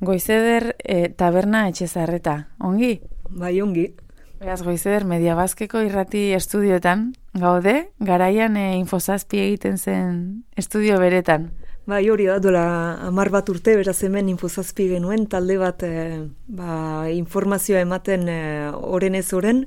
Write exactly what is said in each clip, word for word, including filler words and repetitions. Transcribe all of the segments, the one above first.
Goizeder e, taberna etxezarreta, ongi? Bai, ongi. Beraz, Goizeder Mediabazkeko irrati estudioetan, gaude, garaian e, Infozazpi egiten zen estudio beretan. Bai, hori da, dola hamar bat urte, beraz hemen Infozazpi genuen, talde bat e, ba, informazioa ematen e, oren ez oren,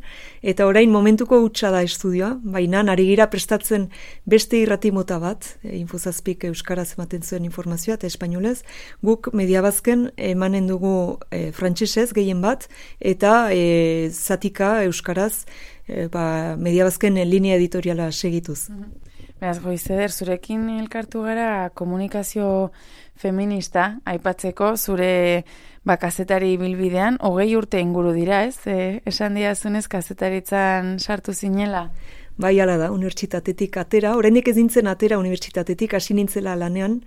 eta orain momentuko hutsa da estudioa, baina ari gira prestatzen beste irrati mota bat, e, Infozazpik euskaraz ematen zuen informazioa eta espainolez, guk Mediabazken emanen dugu e, frantsesez gehien bat, eta e, zatika euskaraz e, ba, Mediabazken linea editoriala segituz. Mm-hmm. Beraz, Goizeder, zurekin elkartu gara komunikazio feminista aipatzeko zure ba, kazetari bilbidean, hogei urte inguru dira, ez? E, esan diazunez kazetaritzan sartu zinela? Bai, ala da, unibertsitatetik atera, oraindik ez nintzen atera unibertsitatetik, hasi nintzela lanean,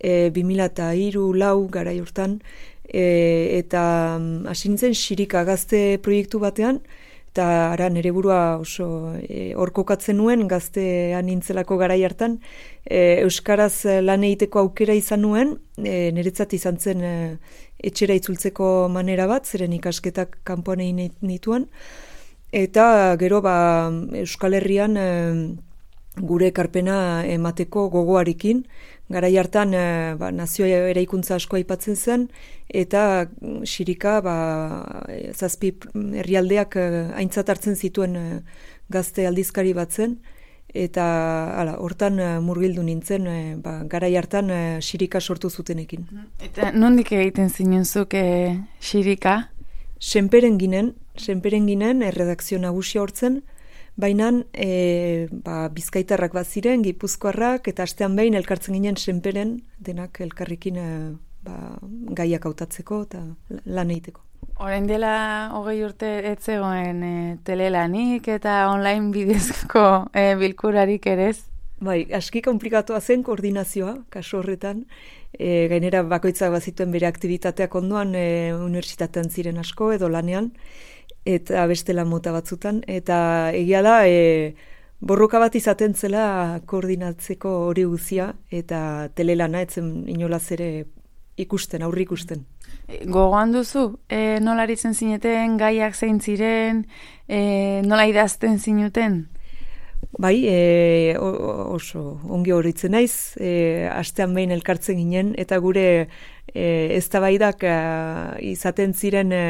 e, bi mila hiru lau garai hortan, e, eta hasi nintzen Xirika gazte proiektu batean, eta ara nere burua oso e, hor kokatzen nuen, gaztean nintzelako garai hartan, e, euskaraz lan egiteko aukera izan nuen, e, niretzat izan zen e, etxera itzultzeko manera bat, zeren ikasketak kanpoan egin nituen, eta gero ba, Euskal Herrian e, gure ekarpena emateko gogoarekin, garai hartan e, ba, nazio eraikuntza asko aipatzen zen, eta Xirika ba, zazpi herrialdeak e, aintzat hartzen zituen e, gazte aldizkari bat zen, eta hala, hortan e, murgildu nintzen, e, ba, garai hartan e, Xirika sortu zutenekin. Eta nondik egiten zinunzuk e, Xirika? Senperen ginen, senperen ginen, erredakzio nagusia hortzen, baina e, ba, bizkaitarrak bat ziren, gipuzkoarrak, eta astean behin elkartzen ginen senperen, denak elkarrekin e, ba, gaiak hautatzeko eta lan egiteko. Orain dela hogei urte ez zegoen e, telelanik eta online bidezko e, bilkurarik ere ez? Bai, aski komplikatua zen koordinazioa, kasu horretan, e, gainera bakoitzak bazituen bere aktivitateak ondoan, e, unibertsitatean ziren asko edo lanean, eta bestela mota batzutan, eta egia da, e, borroka bat izaten zela koordinatzeko hori guzia, eta telelana etzen inolaz ere ikusten, aurri ikusten. Gogoan duzu, e, nola aritzen zineten, gaiak zein ziren, e, nola idazten zinuten? Bai, e, oso ongi horitzen naiz, e, astean behin elkartzen ginen, eta gure e, eztabaidak e, izaten ziren e,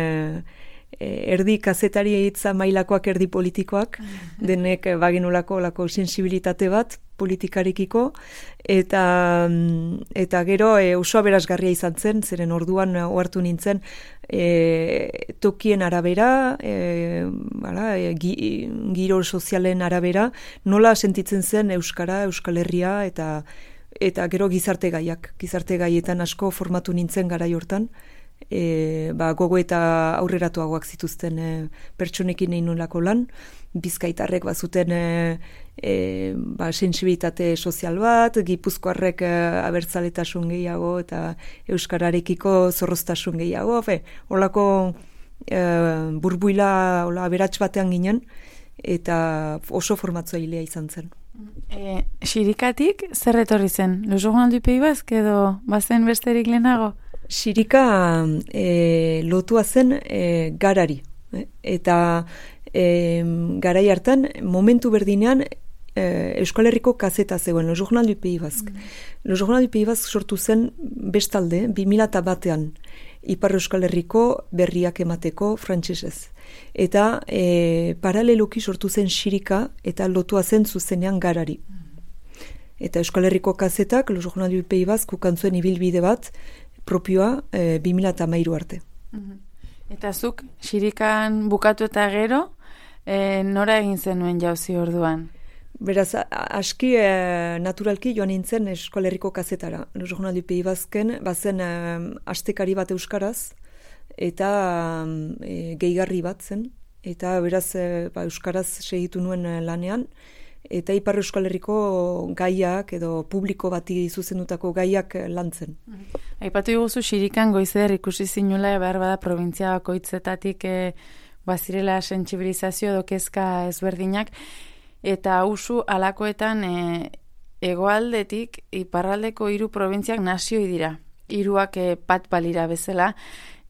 erdi kazetari hitza mailakoak, erdi politikoak, denek bagenolako lako sensibilitate bat politikarikiko, eta eta gero e, oso aberasgarria izan zen, zeren orduan ohartu nintzen e, tokien arabera, e, bala, e, gi, giro sozialen arabera, nola sentitzen zen Euskara, Euskal Herria, eta eta gero gizarte gaiak, gizarte gaietan asko formatu nintzen garai hortan, E, ba, gogo eta aurreratuagoak zituzten e, pertsonekin egin nolako lan, bizkaitarrek bazuten e, e, ba, sensibilitate sozial bat, gipuzkoarrek e, abertzaletasun gehiago eta euskararekiko zorroztasun gehiago, fe, holako e, burbuila hola, aberats batean ginen, eta oso formatzailea izan zen. E, Xirikatik zer etorri zen? Le Journal du Pays Basque edo bazen besterik lehenago? Xirika e, lotua zen e, garari. Eh? Eta e, garai hartan, momentu berdinean, e, Euskal Herriko kazeta zegoen, Le Journal du Pays Basque. Mm. Le Journal du Pays Basque sortu zen bestalde, bi mila batean, Ipar Euskal Herriko berriak emateko frantsesez. Eta e, paraleloki sortu zen Xirika eta lotua zen zuzenean garari. Eta Euskal Herriko kazetak, Le Journal du Pays Basque, ukantzuen ibilbide bat, propioa e, bi mila hamairu arte. Eta zuk, Xirikan bukatu eta gero, e, nora egin zenuen jauzi orduan? Beraz, aski e, naturalki joan nintzen Euskal Herriko kazetara. Le Journal du Pays Basken, bazen e, astekari bat euskaraz, eta e, gehigarri bat zen, eta beraz e, ba, euskaraz segitu nuen lanean, eta Ipar Euskal Herriko gaiak edo publiko bati zuzendutako gaiak lantzen. Aipatu diguzu Xirikan Goizeder ikusi zinula behar bada provintzia bakoitzetatik e, bazirela sentsibilizazio edo kezka ezberdinak, eta usu alakoetan e, hegoaldetik iparraldeko hiru probintziak nazioi dira. hiruak e, bat balira bezala,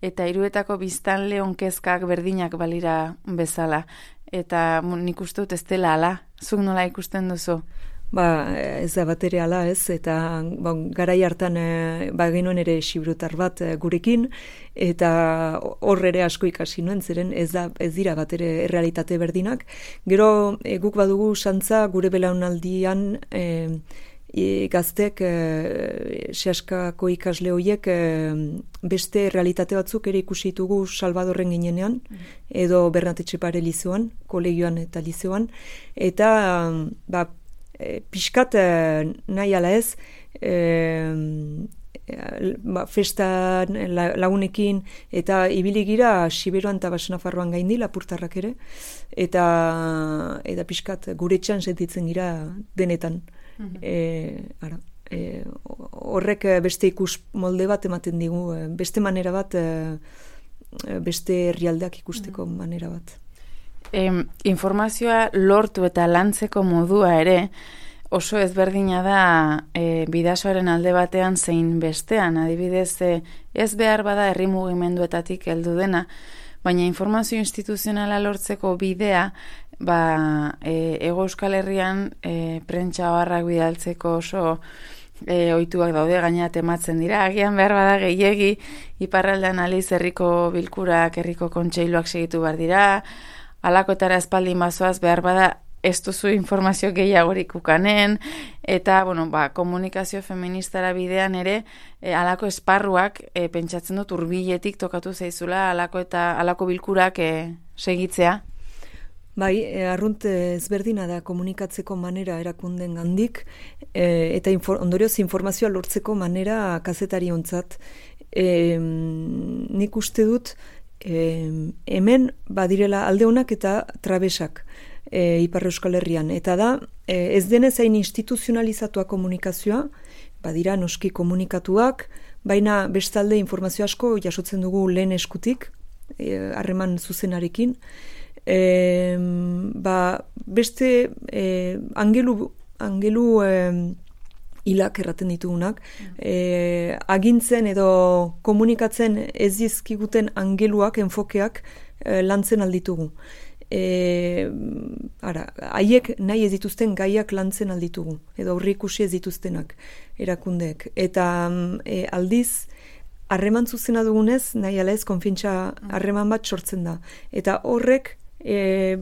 eta hiruetako biztanle onkezkak berdinak balira bezala. Eta nik uste dut ez dela ala, zuk nola ikusten duzu? Ba, ez da bat ere ala ez, eta ba, garai hartan e, ba, genuen ere xibrutar bat e, gurekin, eta hor ere asko ikasi nuen, zeren ez, da, ez dira bat ere errealitate berdinak. Gero e, guk badugu santza gure belaunaldian e, e, gaztek e, sehaskako ikasle horiek e, beste realitate batzuk ere ikusi ditugu Salvadorren ginenean, edo Bernat Etxepare lizeoan, kolegioan eta lizeoan, eta ba, E, pixkat e, nahi ala ez, e, ba, festan la, lagunekin eta ibili gira Siberuan eta Basenafarroan gaindi lapurtarrak ere, eta eta pixkat gure txan sentitzen gira denetan. Mm-hmm. e, ara, e, horrek beste ikus molde bat ematen digu, beste manera bat, e, beste herrialdeak ikusteko mm-hmm. manera bat. E, informazioa lortu eta lantzeko modua ere oso ezberdina da e, bidasoaren alde batean zein bestean, adibidez e, ez behar bada herri mugimenduetatik heldu dena, baina informazio instituzionala lortzeko bidea ba, e, Hego Euskal Herrian e, prentsa oharrak bidaltzeko oso E, ohituak daude, gaina tematzen dira, agian behar bada gehiegi, iparraldean aliz herriko bilkurak, herriko kontseiluak segitu behar dira, alakoetara espaldin bazoaz behar bada ez duzu informazio gehiagorik ukanen, eta bueno, ba, komunikazio feministara bidean ere e, alako esparruak e, pentsatzen dut hurbiletik tokatu zaizula alako eta alako bilkurak e, segitzea. Bai, arrunt ezberdina da komunikatzeko manera erakunden gandik, e, eta infor, ondorioz informazioa lortzeko manera kazetari ontzat. E, nik uste dut, e, hemen badirela alde honak eta trabesak e, Ipar Euskal Herrian. Eta da, e, ez denez hain instituzionalizatua komunikazioa, badira noski komunikatuak, baina bestalde informazio asko jasotzen dugu lehen eskutik, harreman e, zuzenarekin, E, ba, beste e, angelu, angelu e, hilak erraten ditugunak, e, agintzen edo komunikatzen ez dizkiguten angeluak, enfokeak e, lantzen alditugu. E, ara, haiek nahi ez dituzten gaiak lantzen alditugu, edo aurreikusi ez dituztenak erakundeek. Eta e, aldiz, harreman zuzena dugunez, nahi ala ez, konfiantza harreman bat sortzen da. Eta horrek, E,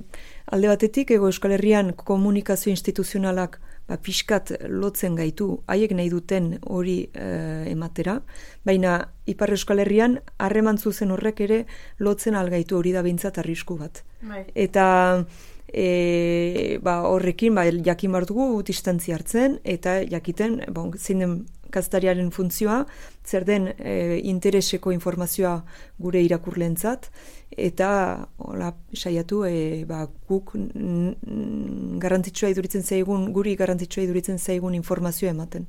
alde batetik Hego Euskal Herrian komunikazio instituzionalak ba, pixkat lotzen gaitu, haiek nahi duten hori e, ematera, baina Ipar Euskal Herrian harreman zuzen horrek ere lotzen algaitu, hori da behintzat arrisku bat. Bai. Eta e, ba, horrekin ba, jakin behar dugu distantzia hartzen, eta jakiten bon, zein den kazetariaren funtzioa, zer den e, intereseko informazioa gure irakurleentzat, eta hola, saiatu e, ba, guk garrantzitsua iduritzen zaigun, guri garrantzitsua iduritzen zaigun informazioa ematen.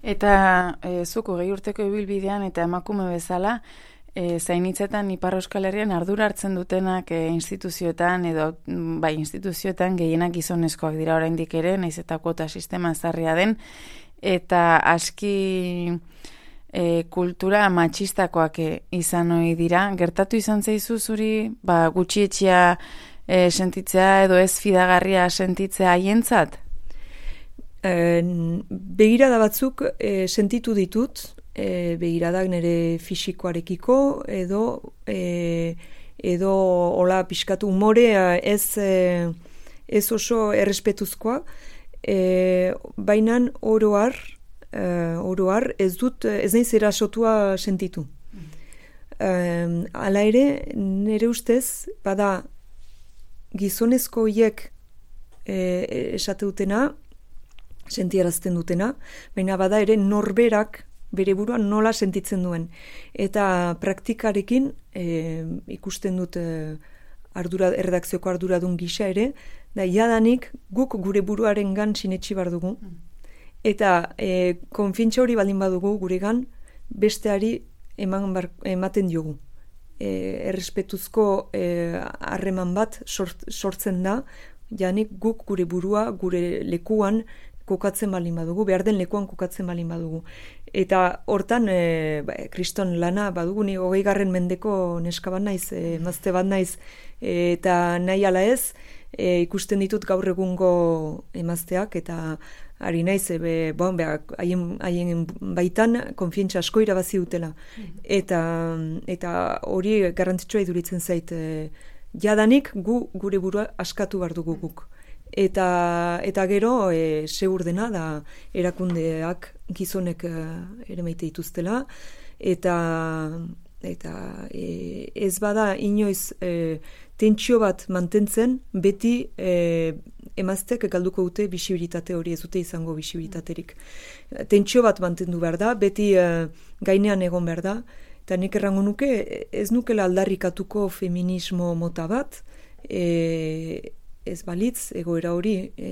Eta e, zuko gehi urteko ibilbidean eta emakume bezala, e, zainitzetan Ipar Euskal Herrian ardura hartzen dutenak e, instituzioetan edo bai instituzioetan gehienak gizonezkoak dira oraindik ere, naiz eta kuota sistema ezarria den, eta aski e, kultura matxistakoak e, izan ohi dira. Gertatu izan zaizu zuri ba, gutxietxea e, sentitzea edo ez fidagarria sentitzea haientzat? E, begirada batzuk e, sentitu ditut, e, begiradak nire fisikoarekiko edo e, edo hola pixkatu umorea ez, e, ez oso errespetuzkoa, E, bainan oroar, e, oroar ez dut, ez naiz erasotua sentitu. Mm. E, hala ere, nire ustez, bada gizonezko hiek e, esate dutena, sentiarazten dutena, baina bada ere norberak bere buruan nola sentitzen duen. Eta praktikarekin e, ikusten dut e, ardura, erredakzioko arduradun gisa ere, da jadanik guk gure buruaren gan sinetxi bar dugu. Eta e, konfiantza hori baldin badugu guregan besteari eman bar, ematen diogu. E, errespetuzko harreman e, bat sort, sortzen da, janik guk gure burua, gure lekuan kokatzen baldin badugu, behar den lekuan kokatzen baldin badugu. Eta hortan, e, ba, kriston lana badugu, ni hogei garren mendeko neska bat naiz, e, emazte bat naiz, e, eta nahi ala ez, e, ikusten ditut gaur egungo emazteak, eta ari naiz, e, bon, haien, haien baitan konfientza asko irabazi dutela. Eta, eta hori garrantzitsua iduritzen zait, e, jadanik gu gure burua askatu behar dugu guk. Eta, eta gero, e, segur dena da erakundeak gizonek e, ere maite dituztela, eta, eta e, ez bada inoiz e, tentsio bat mantentzen, beti e, emazteak galduko dute bisibilitate hori, ez dute izango bisibilitaterik. Tentsio bat mantendu behar da, beti e, gainean egon behar da, eta nik errango nuke, ez nukela aldarrikatuko feminismo mota bat, e, ez balitz egoera hori, e,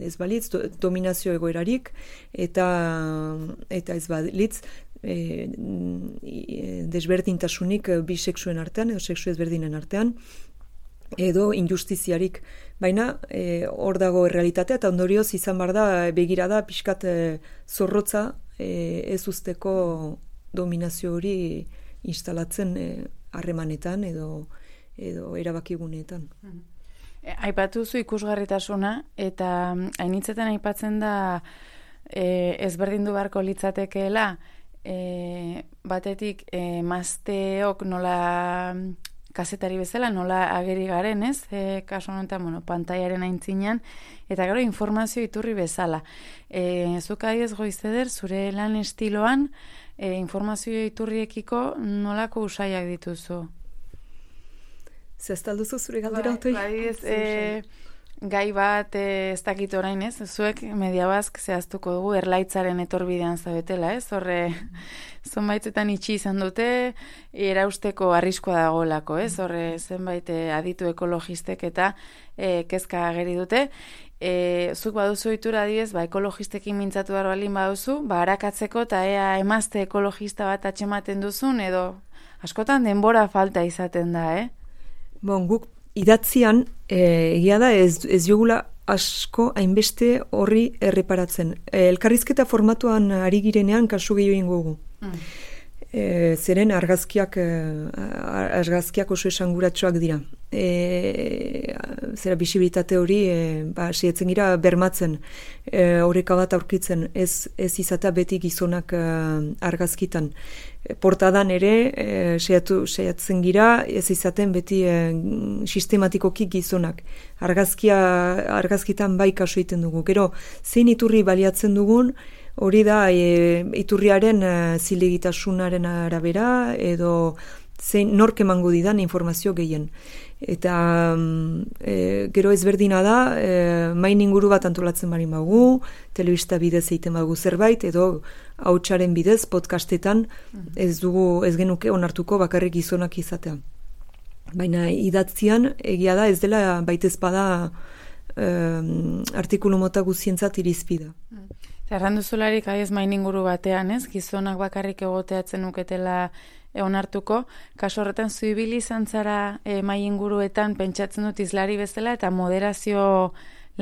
ez balitz do, dominazio egoerarik, eta, eta ez balitz e, desberdintasunik bisexuen artean, edo sexu ezberdinen artean, edo injustiziarik. Baina e, hor dago errealitatea, eta ondorioz izan bar da begirada pixkat e, zorrotza e, ez usteko dominazio hori instalatzen harremanetan e, edo, edo erabakiguneetan. Aipatu zu ikusgarritasuna, eta hainitzetan aipatzen da e, ezberdindu beharko litzatekeela, e, batetik e, mazteok nola kazetari bezala, nola ageri garen, ez? E, kaso honetan, bueno, pantaiaren aintzinean, eta gero informazio iturri bezala. E, zuk adiez Goizeder, zure lan estiloan, e, informazio iturriekiko nolako usaiak dituzu? Zehaztalduzu zure galdera otoi? Bai, ez, e, gai bat e, ez dakit orain, ez? Zuek Mediabazk zehaztuko dugu erlaitzaren etorbidean zabetela, ez? Horre, zonbaitzetan itxi izan dute, erausteko arriskoa dagoelako, ez? Horre, zenbait aditu ekologistek eta e, kezka ageri dute. E, zuk baduzu itura diez, ba, ekologistekin mintzatu behar balin baduzu, ba, harakatzeko eta ea emazte ekologista bat atxematen duzun, edo askotan denbora falta izaten da, eh? Bon, guk idatzian e, egia da ez, ez jogula asko hainbeste horri erreparatzen. E, elkarrizketa formatuan ari girenean kasu gehiago ingo gu. Mm. E, zeren argazkiak, argazkiak oso esanguratsuak dira. E, zera bisibilitate hori e, ba, sietzen gira bermatzen, e, horreka bat aurkitzen, ez, ez izatea beti gizonak e, argazkitan. E, portadan ere e, seiatu, seiatzen gira, ez izaten beti e, sistematikoki gizonak. Argazkia, argazkitan bai kasu egiten dugu. Gero, zein iturri baliatzen dugun, hori da e, iturriaren e, zilegitasunaren arabera, edo zein nork emango didan informazio gehien. Eta e, gero ezberdina da, e, main inguru bat antolatzen bari magu, telebista bidez egiten bagu zerbait, edo hautsaren bidez, podcastetan ez dugu, ez genuke onartuko bakarrik gizonak izatea. Baina idatzian, egia da, ez dela baitez bada e, artikulu mota guzientzat irizpida. Erranduzularik aiz main inguru batean, ez? Gizonak bakarrik egoteatzen uketela onartuko, kaso horretan zuibili izan zara e, mai inguruetan pentsatzen dut izlari bezala eta moderazio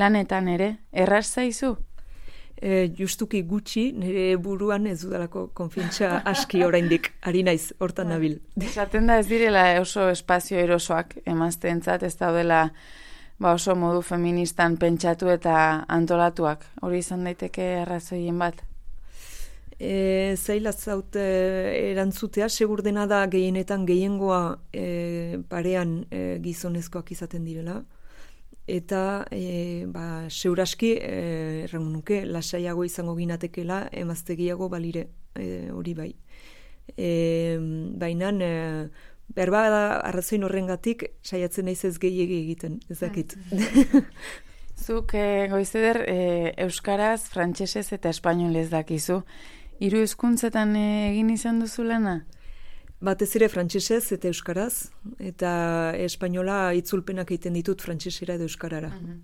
lanetan ere. Erraz zaizu? E, justuki gutxi, nire buruan ez dudalako konfiantza aski oraindik ari naiz, hortan nabil. Esaten da ez direla oso espazio erosoak emazteentzat, ez daudela ba oso modu feministan pentsatu eta antolatuak. Hori izan daiteke arrazoien bat? E, zaila zaut e, erantzutea, segur dena da gehienetan gehiengoa e, parean e, gizonezkoak izaten direla. Eta e, ba, seuraski e, errango nuke lasaiago izango ginatekela emaztegiago balire e, hori bai. E, Baina e, berba da arrazoin horrengatik saiatzen naiz ez gehiegi egiten, ez dakit. Zuk e, Goizeder e, euskaraz, frantsesez eta espainolez dakizu. Hiru hizkuntzetan e, egin izan duzu lana? Batez ere frantsesez eta euskaraz, eta espainola itzulpenak egiten ditut frantsesera edo euskarara. Uh-huh.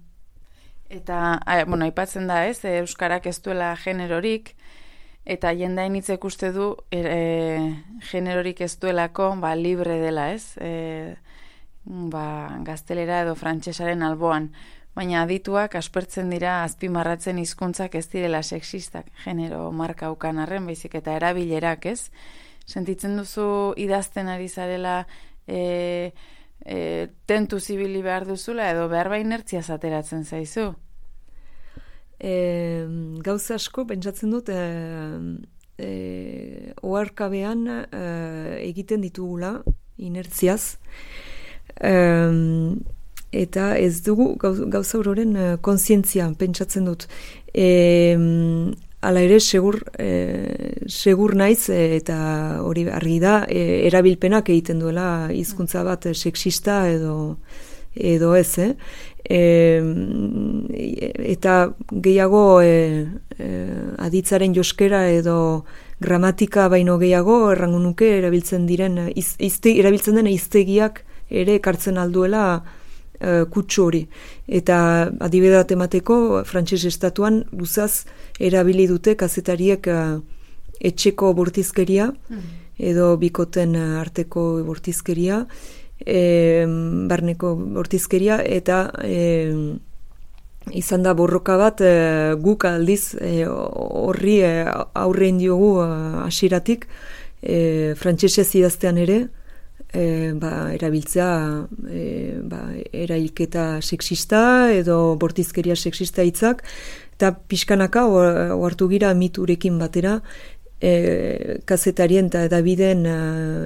Eta, a, bueno, aipatzen da ez, euskarak ez duela generorik, eta jendain hitzek uste du e, generorik ez duelako, ba, libre dela ez, e, ba, gaztelera edo frantsesaren alboan. baina adituak aspertzen dira azpimarratzen hizkuntzak ez direla sexistak, genero marka ukan arren, baizik eta erabilerak, ez? Sentitzen duzu idazten ari zarela e, e, tentu zibili behar duzula edo behar ba inertziaz ateratzen zaizu? E, gauza asko, pentsatzen dut, e, e, oharkabean e, egiten ditugula inertziaz, e, eta ez dugu gauza hororen kontzientzia pentsatzen dut. E, Hala ere, segur, e, segur naiz, e, eta hori argi da, e, erabilpenak egiten duela hizkuntza bat e, sexista edo, edo ez, eh? E, eta gehiago e, e, aditzaren joskera edo gramatika baino gehiago errango nuke erabiltzen diren, iz, izte, erabiltzen den hiztegiak ere ekartzen alduela Uh, kutsu hori. Eta adibidat emateko, frantses estatuan luzaz erabili dute kazetariek uh, etxeko bortizkeria, mm. edo bikoten uh, arteko bortizkeria, e, barneko bortizkeria, eta e, izan da borroka bat e, guk aldiz horri e, e, aurrein diogu hasieratik e, frantsesez idaztean ere, E, ba, erabiltzea e, ba, erailketa sexista edo bortizkeria sexista hitzak, eta pixkanaka ohartu gira miturekin batera e, kazetarien eta edabideen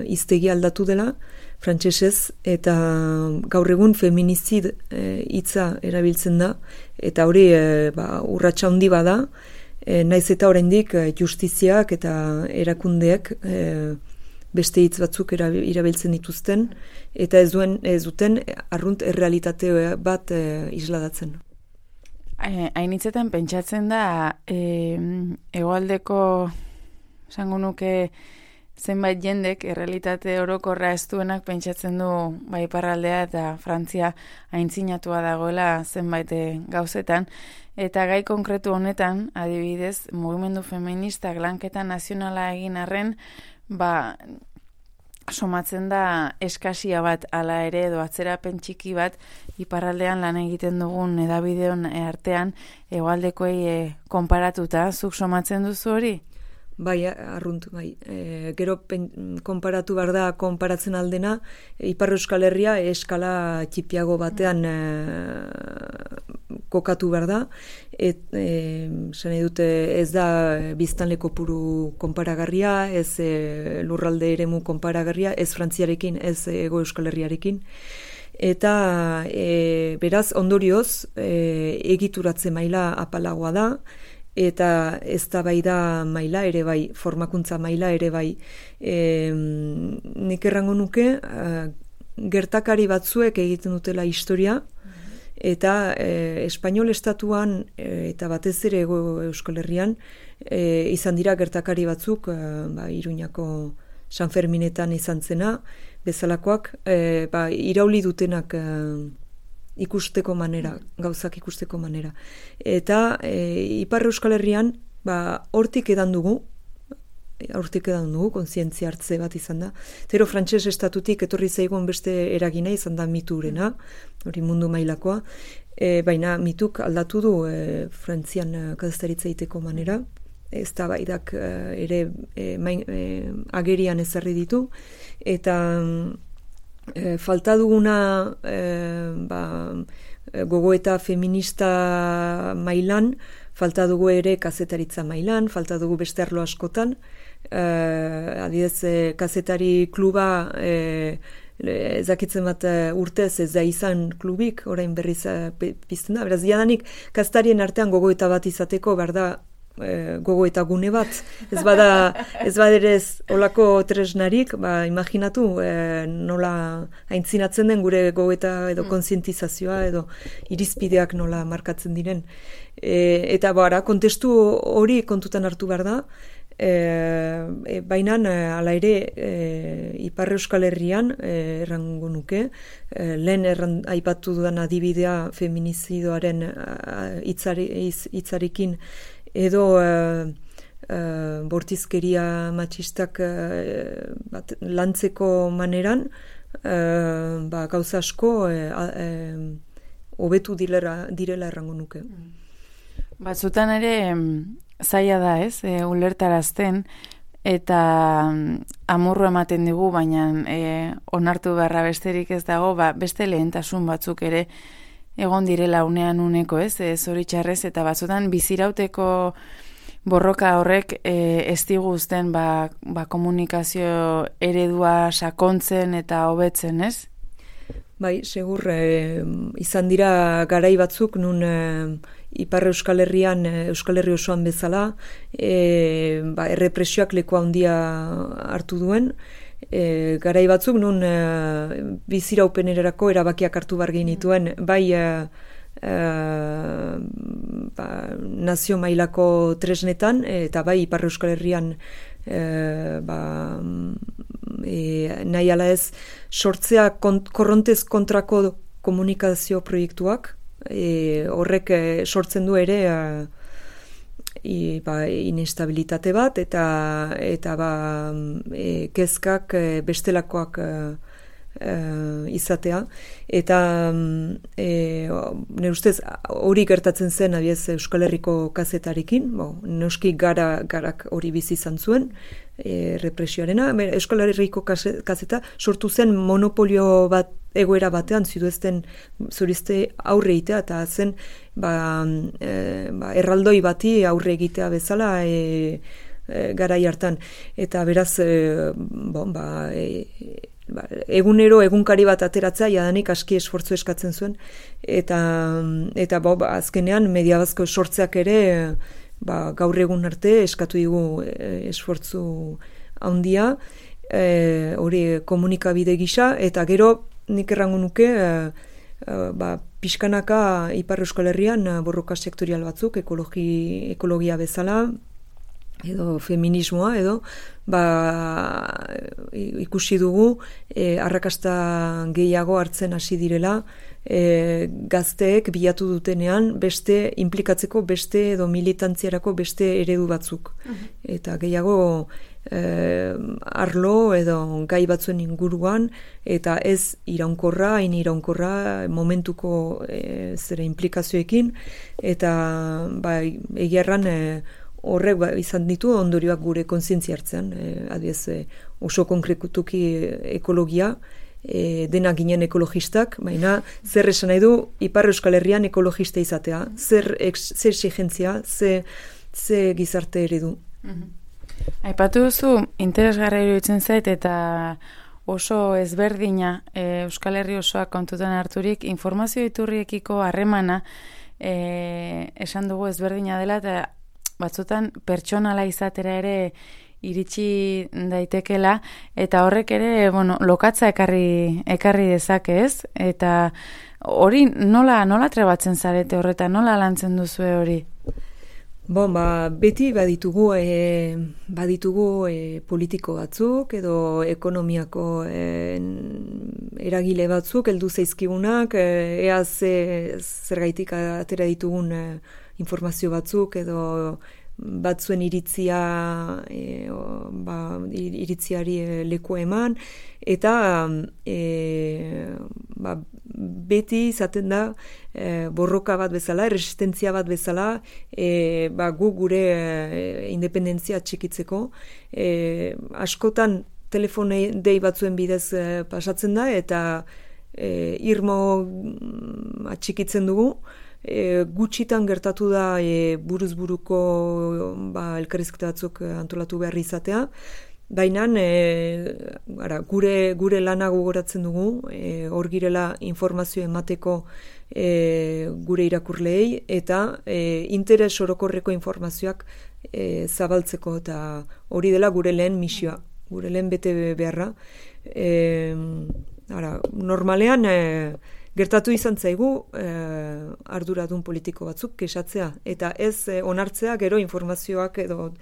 hiztegi aldatu dela frantsesez, eta gaur egun feminizid hitza e, erabiltzen da, eta hori e, ba, urratsa handi bada, e, naiz eta oraindik justiziak eta erakundeek e, beste hitz batzuk erabiltzen dituzten, eta ez duen ez duten arrunt errealitate bat e, isladatzen. Hainitzetan pentsatzen da e, hegoaldeko esango nuke zenbait jendek errealitate orokorra ez duenak pentsatzen du bai iparraldea eta Frantzia aintzinatua dagoela zenbait gauzetan, eta gai konkretu honetan, adibidez, mugimendu feministak lanketa nazionala egin arren, ba, somatzen da eskasia bat ala ere edo atzerapen txiki bat iparraldean lan egiten dugun edabideon artean hegoaldekoei e, konparatuta, zuk somatzen duzu hori? Bai, arrunt, bai. E, gero pen, konparatu behar da, konparatzen aldena, Ipar Euskal Herria eskala txipiago batean e, kokatu behar da, et, e, zene dute ez da biztanle kopuru konparagarria, ez e, lurralde eremu konparagarria, ez Frantziarekin, ez Ego Euskal Herriarekin. Eta e, beraz, ondorioz, e, egituratze maila apalagoa da, eta eztabaida maila ere bai, formakuntza maila ere bai. E, nik errango nuke, uh, gertakari batzuek egiten dutela historia, eta e, Espainol estatuan e, eta batez ere Ego Euskal Herrian e, izan dira gertakari batzuk, e, ba, Iruñako San Ferminetan izan zena, bezalakoak, e, ba, irauli dutenak e, ikusteko manera, gauzak ikusteko manera. Eta e, Ipar Euskal Herrian, ba, hortik edan dugu, hortik edan dugu, kontzientzia hartze bat izan da. Zero frantses estatutik etorri zaigun beste eragina izan da miturena, hori mundu mailakoa, e, baina mituk aldatu du e, Frantzian kazetaritza egiteko manera, ez da baidak e, ere e, main, e, agerian ezarri ditu, eta E, falta duguna e, ba, gogoeta feminista mailan, falta dugu ere kazetaritza mailan, falta dugu beste arlo askotan, e, adidez e, kazetari kluba e, ezakitzen bat urtez ez da izan klubik, orain berriz pizten da, beraz diadanik kazetarien artean gogoeta bat izateko behar da E, gogo eta gune bat, ez bada ez baderez olako tresnarik, ba, imaginatu e, nola aintzinatzen den gure gogoeta edo kontzientizazioa edo irizpideak nola markatzen diren. E, eta bara, kontestu hori kontutan hartu behar da, e, e, baina hala ere e, Ipar Euskal Herrian e, errango nuke, e, lehen erran, aipatu dudan adibidea feminizidoaren hitzarekin edo uh, uh, bortizkeria matxistak uh, bat, lantzeko maneran uh, ba, gauza asko uh, uh, hobetu direla, direla errango nuke. Batzutan ere zaila da, ez, e, ulertarazten, eta amurru ematen digu, baina e, onartu beharra besterik ez dago, ba, beste lehentasun batzuk ere egon direla unean uneko, ez, e, zoritxarrez, eta batzutan bizirauteko borroka horrek e, ez diguzten ba, ba, komunikazio eredua sakontzen eta hobetzen, ez? Bai, segur, e, izan dira garai batzuk nun e, Ipar Euskal Herrian, Euskal Herri osoan bezala, e, ba, errepresioak leku handia hartu duen, e, garai batzuk nun e, biziraupenerako erabakiak hartu bar genituen, bai e, e, ba, nazio mailako tresnetan, eta bai Ipar Euskal Herrian e, ba, e, nahi ala ez sortzea kont, korrontez kontrako komunikazio proiektuak, e, horrek e, sortzen du ere e, i, ba, inestabilitate bat eta eta ba, e, kezkak e, bestelakoak e, e, izatea eta e, nire ustez hori gertatzen zen abiez Euskal Herriko kazetarekin, bo, noski gara, garak hori bizi izan zuen e, represioarena. Euskal Herriko kazeta sortu zen monopolio bat egoera batean ziduzten zurizte aurre egitea eta zen ba, e, ba, erraldoi bati aurre egitea bezala e, e, garai hartan eta beraz e, bon, ba, e, ba, egunero egunkari bat ateratzea jadanik aski esfortzu eskatzen zuen eta, eta bo, ba, azkenean mediabazko sortzeak ere ba, gaur egun arte eskatu digu e, esfortzu handia e, hori komunikabide gisa eta gero nik errango nuke e, e, ba, pixkanaka Ipar Euskal Herrian borroka sektorial batzuk ekologi, ekologia bezala edo feminismoa edo ba, ikusi dugu e, arrakasta gehiago hartzen hasi direla e, gazteek bilatu dutenean beste implikatzeko beste edo militantziarako beste eredu batzuk uh-huh. eta gehiago e, arlo edo gai batzuen inguruan eta ez iraunkorra, hain iraunkorra momentuko e, zera implikazioekin eta ba, egia erran e, horrek ba, izan ditu ondorioak gure kontzientzia hartzean, e, adiez e, oso konkretuki ekologia, e, dena ginen ekologistak, baina zer esan nahi du Ipar Euskal Herrian ekologista izatea, zer, ex, zer exigentzia, ze, ze gizarte eredu. Mm-hmm. Aipatu duzu, interesgarra iruditzen zait eta oso ezberdina e, Euskal Herri osoak kontutan harturik informazio iturriekiko harremana e, esan dugu ezberdina dela eta batzutan pertsonala izatera ere iritsi daitekela eta horrek ere, bueno, lokatza ekarri ekarri dezake, ez? Eta hori nola nola trebatzen zarete horretan, nola lantzen duzue hori? Bon, ba, beti baditugu e, baditugu e, politiko batzuk edo ekonomiako e, eragile batzuk heldu zaizkigunak, e, ea ze, zergaitik atera ditugun e, informazio batzuk edo batzuen iritzia e, o, ba, iritziari e, leku eman eta e, ba, beti izaten da e, borroka bat bezala, resistentzia bat bezala e, ba, gu gure e, independentzia txikitzeko e, askotan telefone dei batzuen bidez e, pasatzen da eta e, irmo atxikitzen dugu. E, gutxitan gertatu da e, buruz buruko ba, elkarrizketa batzuk antolatu behar izatea, baina e, ara, gure, gure lana gogoratzen dugu, e, hor girela informazio emateko e, gure irakurleei eta e, interes orokorreko informazioak e, zabaltzeko eta hori dela gure lehen misioa, gure lehen bete beharra. E, ara, normalean e, gertatu izan zaigu eh, arduradun politiko batzuk kesatzea eta ez eh, onartzea gero informazioak edo,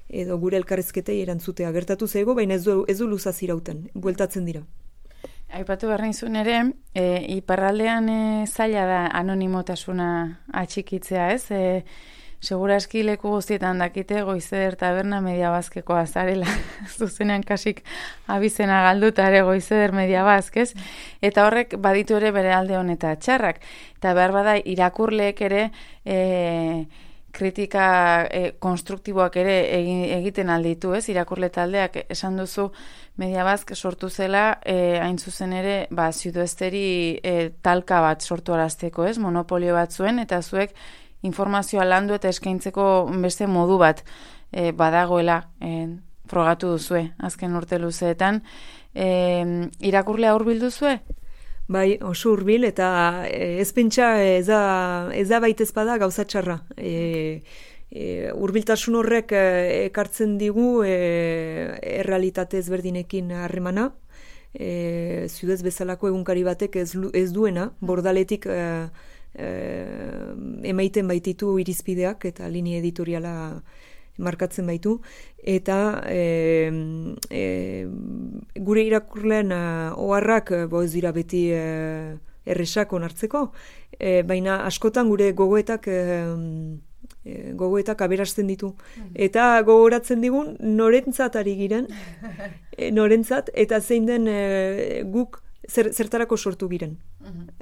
edo gure elkarrizketei erantzutea gertatu zaigu, baina ez du, ez du luzaz irauten, bueltatzen dira. Aipatu behar nizun ere, e, iparraldean e, zaila da anonimotasuna atxikitzea, ez? E, seguraski leku guztietan dakite Goizeder taberna Mediabaskekoa zarela. Zuzenean kasik abizena galduta ere Goizeder Mediabask, ez? Eta horrek baditu ere bere alde honeta txarrak. Eta behar bada irakurleek ere e, kritika e, konstruktiboak ere egiten alditu, ez? Irakurle taldeak esan duzu Mediabask sortu zela e, hain zuzen ere ba, Zudoesteri e, talka bat sortu arazteko, ez? Monopolio bat zuen, eta zuek informazioa landu eta eskaintzeko beste modu bat e, badagoela e, frogatu duzue, azken urte luzeetan. E, irakurlea hurbildu zue? Bai, oso hurbil, eta ez pentsa ez da, ez da baitez bada gauza txarra. E, e, hurbiltasun horrek ekartzen digu e, errealitate ezberdinekin harremana. E, Zudez bezalako egunkari batek ez, ez duena, bordaletik e, e, emaiten baititu irizpideak eta linea editoriala markatzen baitu, eta e, e, gure irakurleen uh, oharrak bo ez dira beti uh, erresak onartzeko, e, baina askotan gure gogoetak e, gogoetak aberasten ditu. Eta gogoratzen digun norentzat ari giren, e, norentzat, eta zein den e, guk zer, zertarako sortu giren.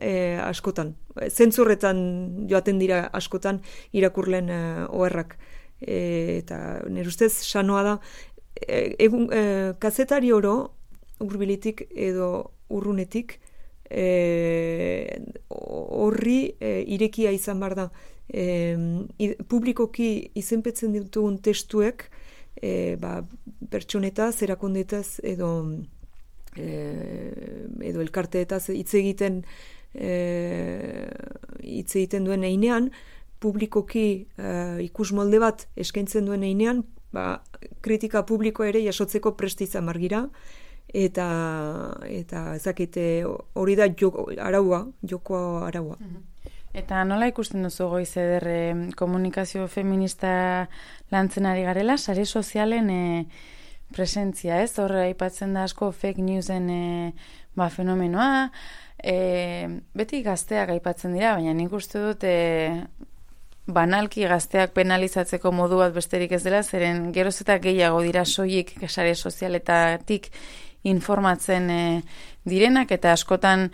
E, askotan. Zentzurretan joaten dira askotan irakurleen uh, oharrak. E, eta nire ustez sanoa da e, egun, e, kazetari oro hurbilitik edo urrunetik e, horri e, irekia izan behar da e, i, publikoki izenpetzen ditugun testuek e, ba, pertsonetaz, erakondetaz edo e, edo elkarteetaz hitz egiten e, hitz egiten duen einean publikoki uh, ikus molde bat eskaintzen duen einean, ba, kritika publiko ere jasotzeko prest izan margira, eta eta ezakite hori da joko, araua, joko araua. Eta nola ikusten duzu Goizeder komunikazio feminista lantzen ari garela, sare sozialen e, presentzia, ez? Horre aipatzen da asko fake newsen e, ba, fenomenoa, e, beti gazteak aipatzen dira, baina nik uste dut e, banalki gazteak penalizatzeko modu bat besterik ez dela, zeren geroz eta gehiago dira soilik sare sozialetatik informatzen e, direnak, eta askotan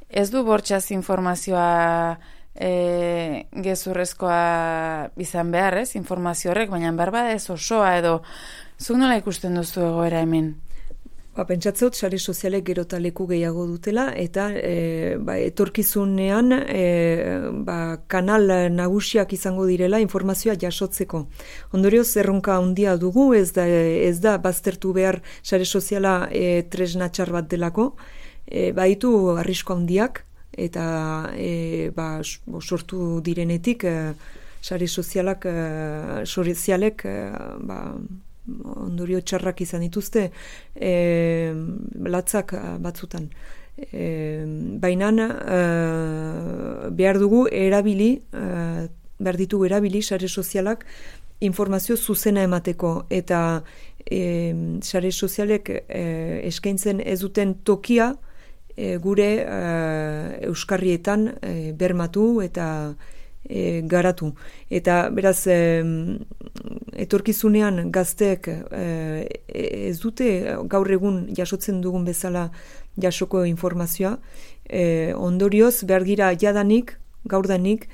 ez du bortxaz informazioa e, gezurrezkoa izan behar, ez, informazio horrek, baina behar bada ez osoa, edo zuk nola ikusten duzu egoera hemen? Ba, pentsatzeot, sare sozialek gero eta leku gehiago dutela, eta e, ba, etorkizunean e, ba, kanal nagusiak izango direla informazioa jasotzeko. Ondorioz, erronka handia dugu, ez da, ez da baztertu behar sare soziala e, tresna txar bat delako, e, baitu arrisko handiak, eta e, ba, sortu direnetik e, sare sozialak, e, sozialek, e, ba, ondorio txarrak izan dituzte e, latzak batzutan. E, Baina e, behar dugu erabili, e, behar ditugu erabili sare sozialak informazio zuzena emateko, eta e, sare sozialek e, eskaintzen ez duten tokia e, gure e, euskarrietan e, bermatu eta E, garatu. Eta beraz e, etorkizunean gazteek e, ez dute gaur egun jasotzen dugun bezala jasoko informazioa, e, ondorioz behar gira jadanik, gaurdanik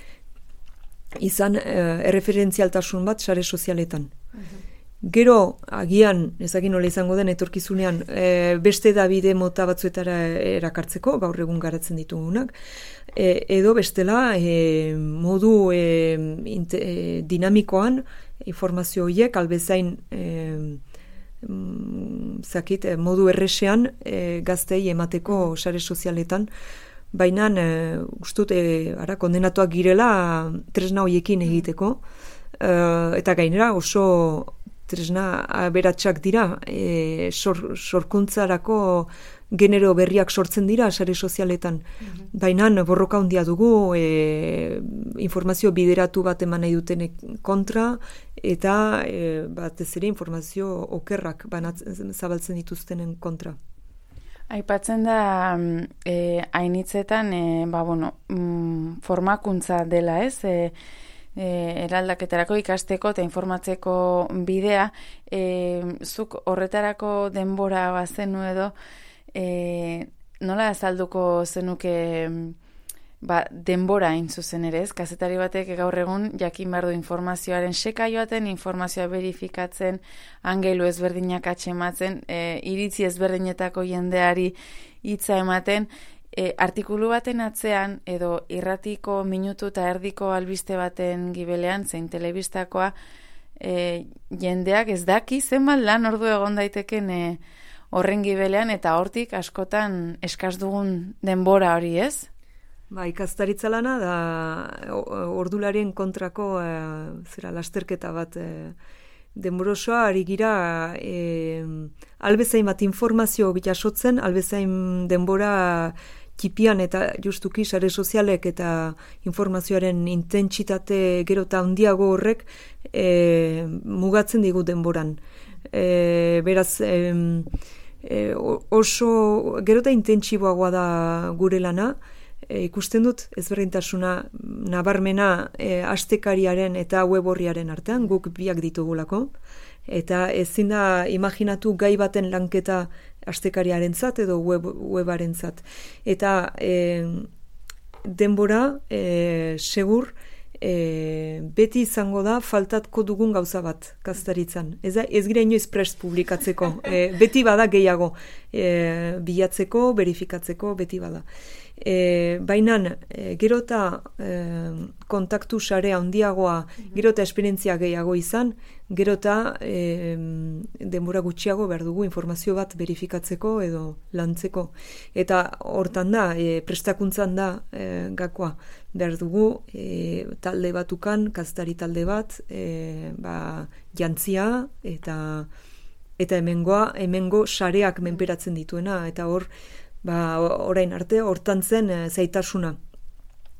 izan e, erreferentzialtasun bat sare sozialetan. Gero, agian, ezagin nola izango den etorkizunean, e, beste Dabide mota batzuetara erakartzeko, gaur egun garatzen ditugunak, e, edo bestela e, modu e, inte, e, dinamikoan informazio horiek albezain e, mm, zakit, modu erresean e, gaztei emateko sare sozialetan, baina e, ustut e, ara, kondenatuak girela tresna horiekin egiteko, e, eta gainera oso tresna aberatsak dira, e, sor, sorkuntzarako genero berriak sortzen dira sare sozialetan. Mm-hmm. Baina borroka handia dugu e, informazio bideratu bat eman nahi duten kontra, eta e, batez ere informazio okerrak banatzen, zabaltzen dituztenen kontra. Aipatzen da e, hainitzetan e, ba, bueno, mm, formakuntza dela, ez? E, e, eraldaketarako ikasteko eta informatzeko bidea, e, zuk horretarako denbora bazenu edo, e, nola azalduko zenuke ba, denbora hain zuzen ere, ez? Kazetari batek gaur egun jakin behar du informazioaren seka joaten, informazioa verifikatzen, angelu ezberdinak atxematzen, e, iritzi ezberdinetako jendeari hitza ematen, e, artikulu baten atzean edo irratiko minutu eta erdiko albiste baten gibelean, zein telebistakoa, e, jendeak ez daki zenbat lan ordu egon daiteken e, horren gibelean eta hortik askotan eskaz dugun denbora hori, ez? Ba, ikastaritza lana da ordularien kontrako e, zera lasterketa bat e, denborosoa ari gira e, albezain bat informazio bitasotzen, albezain denbora txipian eta justuki sare sozialek eta informazioaren intentsitate gero eta handiago horrek e, mugatzen digu denboran. E, beraz, e, e, oso gero eta intentsiboagoa da gure lana, E, ikusten dut ezberdintasuna nabarmena e, astekariaren eta web horriaren artean, guk biak ditugulako, eta ezin da imaginatu gai baten lanketa astekariarentzat edo web, webarentzat. Eta e, denbora e, segur e, beti izango da faltatko dugun gauza bat kaztaritzan. Ez, ez gira inoiz prest publikatzeko, e, beti bada gehiago e, bilatzeko, verifikatzeko, beti bada. E, Baina e, gero eta e, kontaktu sarea handiagoa, gero eta esperientzia gehiago izan, gero eta e, denbora gutxiago behar dugu informazio bat verifikatzeko edo lantzeko. Eta hortan da, e, prestakuntzan da e, gakoa. Behar dugu e, talde batukan, kaztari talde bat, e, ba, jantzia eta, eta hemengoa, hemengo sareak menperatzen dituena, eta hor ba, orain arte, hortan zen e, zaitasuna.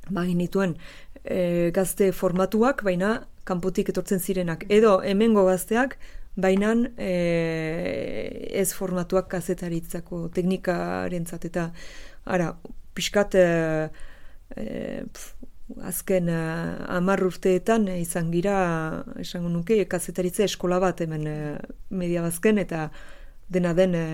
Ba, ginituen e, gazte formatuak, baina kanpotik etortzen zirenak. Edo hemengo gazteak, baina e, ez formatuak kazetaritzako teknikarentzat. Eta, ara, pixkat, e, e, pf, azken e, hamar urteetan e, izan gira, esango nuke, kazetaritza eskola bat hemen e, media bazken, eta dena den e,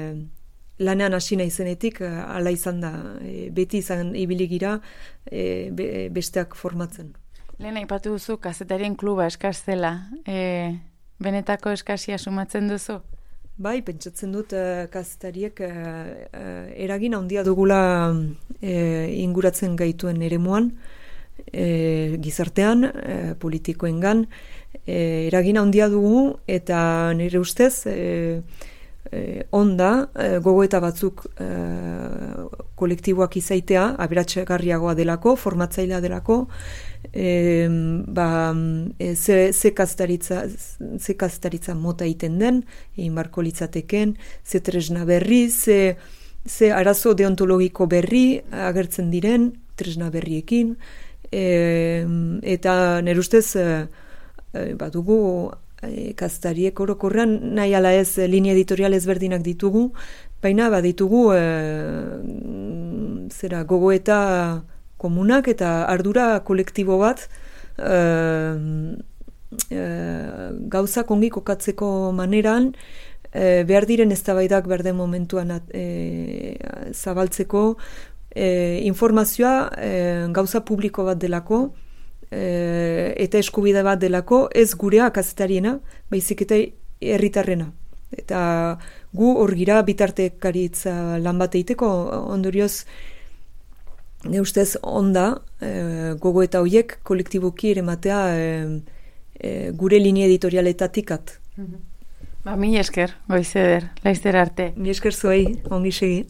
lanean hasi naizenetik hala izan da, e, beti izan ibili gira e, be, besteak formatzen. Lehen aipatu duzu kazetarien kluba eskaz zela, e, benetako eskasia sumatzen duzu? Bai, pentsatzen dut e, kazetariek e, e, eragin handia dugula e, inguratzen gaituen eremuan, e, gizartean, e, politikoengan, e, eragin handia dugu eta nire ustez e, Eh, onda, eh, gogoeta batzuk eh, kolektiboak izaitea, aberatsegarriagoa delako, formatzailea delako, eh, ba, eh, ze, ze kastaritza, ze kastaritza mota egiten den, egin barko litzateken, ze tresna berri, ze, ze arazo deontologiko berri agertzen diren, tresna berriekin, eh, eta nire ustez, eh, eh, badugu, kaztariek orokorrean nahi ala ez linea editorial ezberdinak ditugu, baina baditugu e, zera gogoeta komunak eta ardura kolektibo bat e, e, gauzak ongi kokatzeko maneran e, behar diren eztabaidak behar den momentuan e, zabaltzeko e, informazioa e, gauza publiko bat delako, eta eskubide bat delako, ez gurea kazetariena, baizik eta herritarrena. Eta gu hor gira bitartekaritza lan bat egiteko, ondorioz, ne ustez onda, e, gogo eta hoiek kolektiboki ere matea e, e, gure linea editorialetatik at. Ba, mi esker, goizeder, laizter arte. Mi esker zuei, ongi segi.